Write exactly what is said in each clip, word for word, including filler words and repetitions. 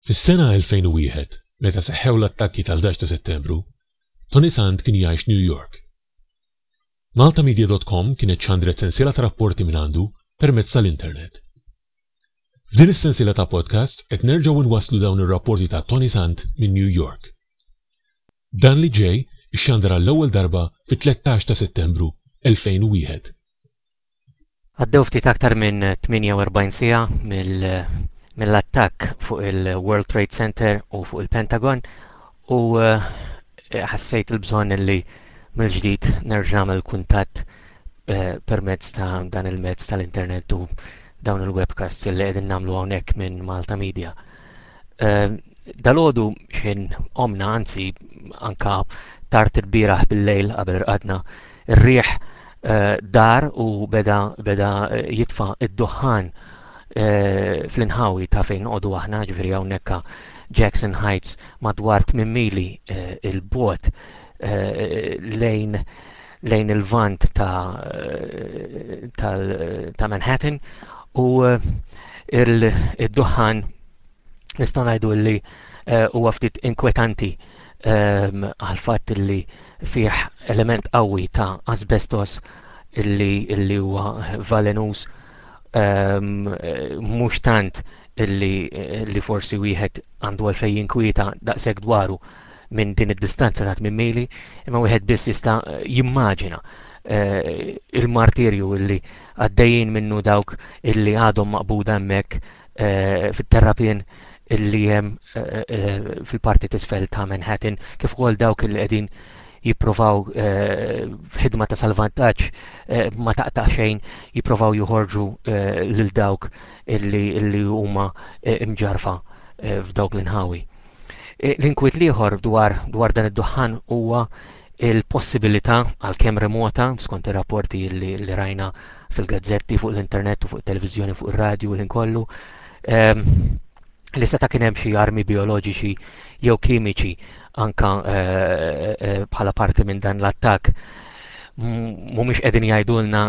Fis-sena elfejn u wieħed, meta seħħew l-attakki tal-ħdax ta' Settembru, Toni Sant kien jgħix New York. Maltamedia dot com kienet xandret sensiela ta' rapporti minn għandu permezz tal-internet. F'din is-sensiela ta' podcasts qed nerġgħu nwasslu dawn ir-rapporti ta' Toni Sant minn New York. Dan li ġej ixxandar għall-ewwel darba fit-tlettax ta' Settembru elfejn u wieħed. Għaddew ftit aktar minn tmienja u erbgħin siegħa mill-, mill-attakk fuq il-World Trade Center u fuq il-Pentagon u, eh, ħassejt il-bżonn li mill-ġdid nerġa' nagħmel kuntatt, eh, permezz ta' dan il-mezz tal-internet u dawn il-webcasts li qegħdin nagħmlu hawnhekk minn Malta Media. Eh, dalgħodu x'ħin qomna, anzi anka tard il-bieraħ bil-lejl qabel irqadna, ir-riħ, eh, dar u beda, beda jitfa' id-duħħan, eh, fl-inħawi ta' fejn noqogħdu aħna, ġifieri hawnhekk Jackson Heights madwar tmien mili, eh, il-bogħod, eh, lejn, lejn il-vant ta', eh, tal-, ta' Manhattan u, eh, il-, id-duħħan nistgħu ngħidu li, eh, huwa ftit inkwetanti, ehm, għal fatt li fih element qawwi ta' asbestos illi, illi huwa valenus, ehm, mhux tant illi, illi forsi wieħed għandu għalfejn jinkwieta daqshekk dwaru minn din id-distanza ta' tmien mili, imma wieħed biss jista' jimmaġina, eh, il-martirju illi għaddejjin minnu dawk illi għadhom maqbuda hemmhekk, eh, fit-terrapien illi hemm, eh, eh, fil-parti t'isfel ta' Manhattan, kif ukoll dawk illi qegħdin jipprovaw, eh, f'ħidma ta' salvataġġ, eh, ma taqta' xejn, jipprovaw joħorġu, eh, lil dawk illi, illi huma, eh, imġarfa, eh, f'dawk l-inħawi. Eh, l-inkwiet l-ieħor dwar, dwar dan id-duħħan huwa il-possibilità, għalkemm remota, skont ir-rapporti li, li rajna fil-gazzetti, fuq l-internet u fuq it-televiżjoni, fuq ir-radju u l-inkollu, ehm, li seta' kien hemm xi armi bioloġiċi jew kimiċi anka, eh, eh, bħala parti minn dan l-attakk. M-, mhumiex qegħdin jgħidulna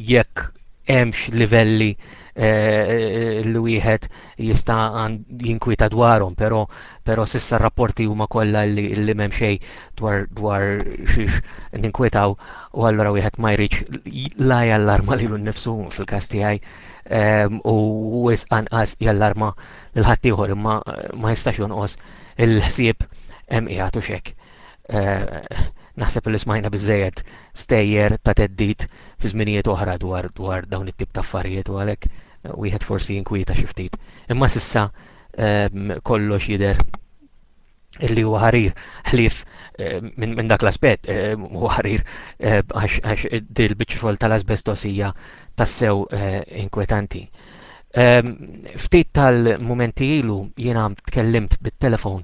jekk hemmx livelli, eh, li wieħed jista' għan-, jinkwieta dwarhom, però, però sissa r-rapporti huma kollha li, li m'hemm xejn dwar, dwar xiex ninkwetaw, u allura wieħed ma jridx la jallarma lilu nnifsu fil-każ tiegħi, ehm, u wisq anqas jallarma lil ħaddieħor, imma ma jistax jonqos il-ħsieb hemm qiegħed u x'hekk. Eh, naħseb li smajna biżżejjed stejjer ta' theddid fi żminijiet oħra dwar, dwar dawn it-tip ta' affarijiet, u għalhekk wieħed forsi jinkwieta xi ftit. Imma sissa, ehm, kollox jidher illi huwa ħarir ħlief, eh, minn, minn dak l-aspett, eh, huwa ħarir, eh, għax, għax dil-biċċa xogħol tal-asbestos hija tassew, eh, inkwetanti. Ehm, ftit tal-mumenti ilu jiena tkellimt bit-telefon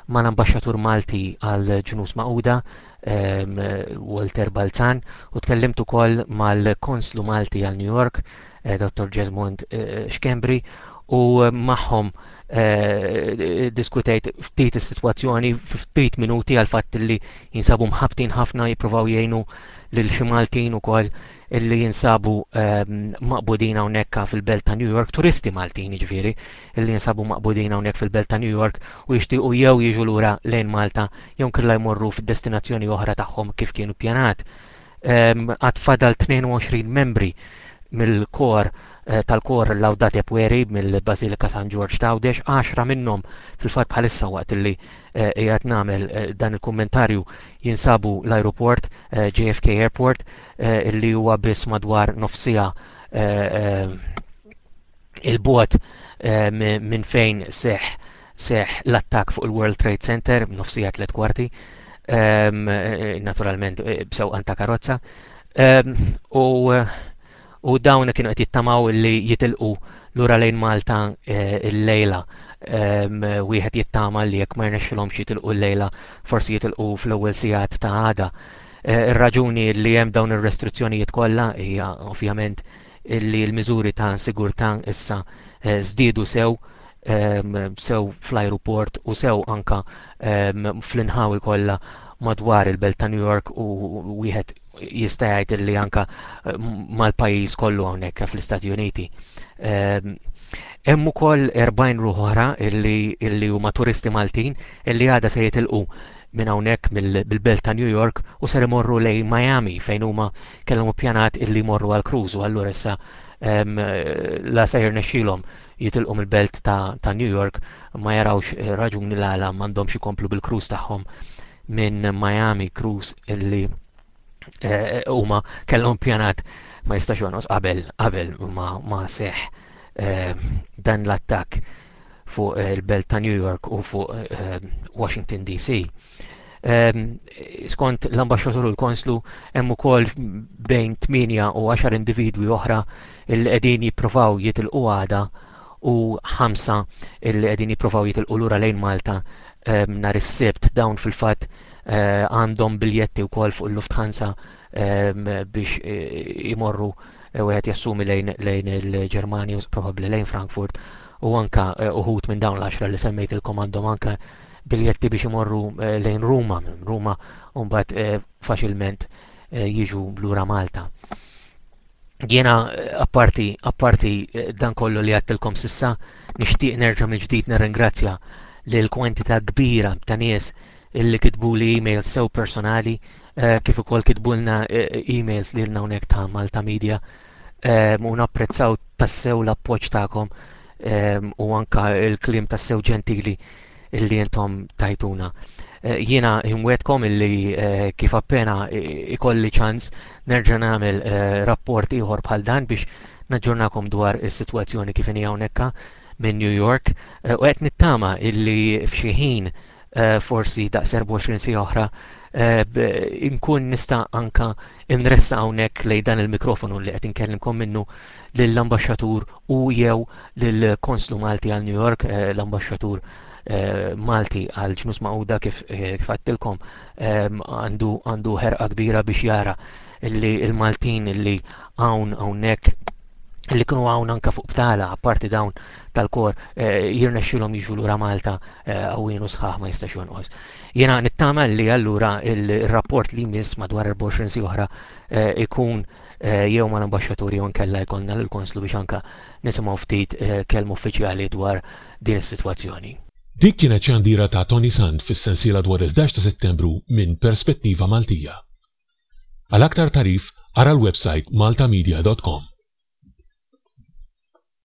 mal-ambaxxatur Malti għal Ġnus Magħquda, ehm, Walter Balzan, u tkellimt ukoll mal-Konslu Malti għal New York, eh, Dottor Jesmond, eh, Schembri, u magħhom, eh, diskutejt ftit is-sitwazzjoni ftit minuti għal fatt li jinsabu mħabtin ħafna jippruvaw jgħinu lil xi Maltin ukoll illi jinsabu, ehm, maqbudin hawnhekk fil-belt ta' New York, turisti Maltin jiġifieri illi jinsabu maqbudin hawnhekk fil-belt ta' New York u jixtiequ jew jiġu lura lejn Malta jew inkella jmorru fid-destinazzjoni oħra tagħhom kif kienu ppjanat. Ehm, għad fadal tnejn u għoxrin membri mill-kor, eh, tal-kor Laudate Pueri mill-Bażilika San Ġorġ t'Għawdex, għaxra minnhom fil-fatt bħalissa waqt illi, eh, qiegħed nagħmel, eh, dan il-kummentarju jinsabu l-aeroport, eh, J F K Airport, eh, illi huwa biss madwar nofsija, eh, eh, il-bogħod, eh, mi-, minn fejn seħ, seħ l-attakk fuq il-World Trade Center, nofsija tliet kwarti, ehm, eh, naturalment, eh, b'sewqan ta' karozza. Ehm, u, u dawn kienu qed jittamaw li jitilqu lura lejn Malta, eh, il-lejla. Ehm, wieħed jittama li jekk ma jnexxilhomx jitilqu l-lejla, forsi jitilqu fl-ewwel sigħat ta' għada. Eh, ir-raġuni li hemm dawn ir-restrizzjonijiet kollha hija ovvjament li l-miżuri ta' sigurtà issa, eh, żdiedu sew, ehm, sew fl-ajruport u sew anka, ehm, fl-inħawi kollha madwar il-belt ta' New York u wieħed jista' jgħid li anka eh, mal-pajjiż kollu hawnhekk fl-Istati Uniti. Ehm, hemm ukoll erbgħin ruħ oħra illi, illi huma turisti Maltin illi għada se jitilqu minn hawnhekk mill-belt ta' New York u ser imorru lejn Miami fejn huma kellhom ippjanat illi jmorru għal cruise, u allura issa ehm, la se jirnexxilhom jitilqu mill-belt ta', ta' New York, ma jarawx eh, raġuni l-għala m'għandhomx ikomplu bil-cruise tagħhom minn Miami, cruise illi eh, huma kellhom pjanat ma jistax jonqos qabel qabel ma, ma seħ eh, dan l-attakk fuq il-belt ta' New York u fuq eh, Washington D C. Ehm, skont l-ambaxxatur u l-konslu, hemm ukoll bejn tmienja u għaxar individwi oħra li qegħdin jippruvaw jitilqu għada u ħamsa illi qegħdin jippruvaw jitilqu lura lejn Malta ehm, nhar is-Sibt. Dawn fil-fatt eh, għandhom biljetti wkoll fuq il-Lufthansa ehm, biex eh, imorru, eh, wieħed jassumi, lejn lejn il-Ġermanja u probabbli lejn Frankfurt, u anka uħud minn dawn l-għaxra li semmejtilkom għandhom anka biljetti biex imorru lejn Ruma, minn Ruma u mbagħad faċilment jiġu lura Malta. Jiena, apparti apparti dan kollu li għedtilkom s'issa, nixtieq nerġa' mill-ġdid nirringrazzja lil kwantità kbira ta' nies illi kitbuli emails sew personali kif ukoll kitbulna emails lilna hawnhekk ta' Malta Media, u napprezzaw tassew l-appoġġ tagħkom u anka il-kliem tassew ġentili illi intom tajtuna. Jiena inwegħedkom illi kif appena ikolli ċans nerġa' nagħmel rapport ieħor bħal dan biex naġġornakom dwar is-sitwazzjoni kif inhi hawnhekk minn New York, u qed nittama illi f'xi ħin, forsi daqs erbgħa u għoxrin siegħa oħra, inkun nista' anka nressa hawnhekk lejn dan il-mikrofonu li qed inkellimkom minnu lill-ambaxxatur u jew lill-Konslu Malti għal New York. L-ambaxxatur Malti għal Ġnus Magħquda, kif kif għedtilkom, għandu għandu ħerqa kbira biex jara illi il-Maltin illi hawn hawnhekk, li kienu hawn anka fuq btala apparti dawn tal-kor, jirnexxilhom jiġu lura Malta qawwin u sħaħ, ma jistax jonqos. Jiena nittama li allura il-rapport li jmiss madwar erbgħa u għoxrin siegħa oħra ikun jew mal-ambaxxatur jew nkella jkollna lill-konslu biex anka nisimgħu ftit kelma uffiċjali dwar din is-sitwazzjoni. Dik kienet xandira ta' Toni Sant fis-sensiela dwar il-ħdax ta' Settembru minn Perspettiva Maltija. Għal aktar tagħrif ara l-website maltamedia dot com.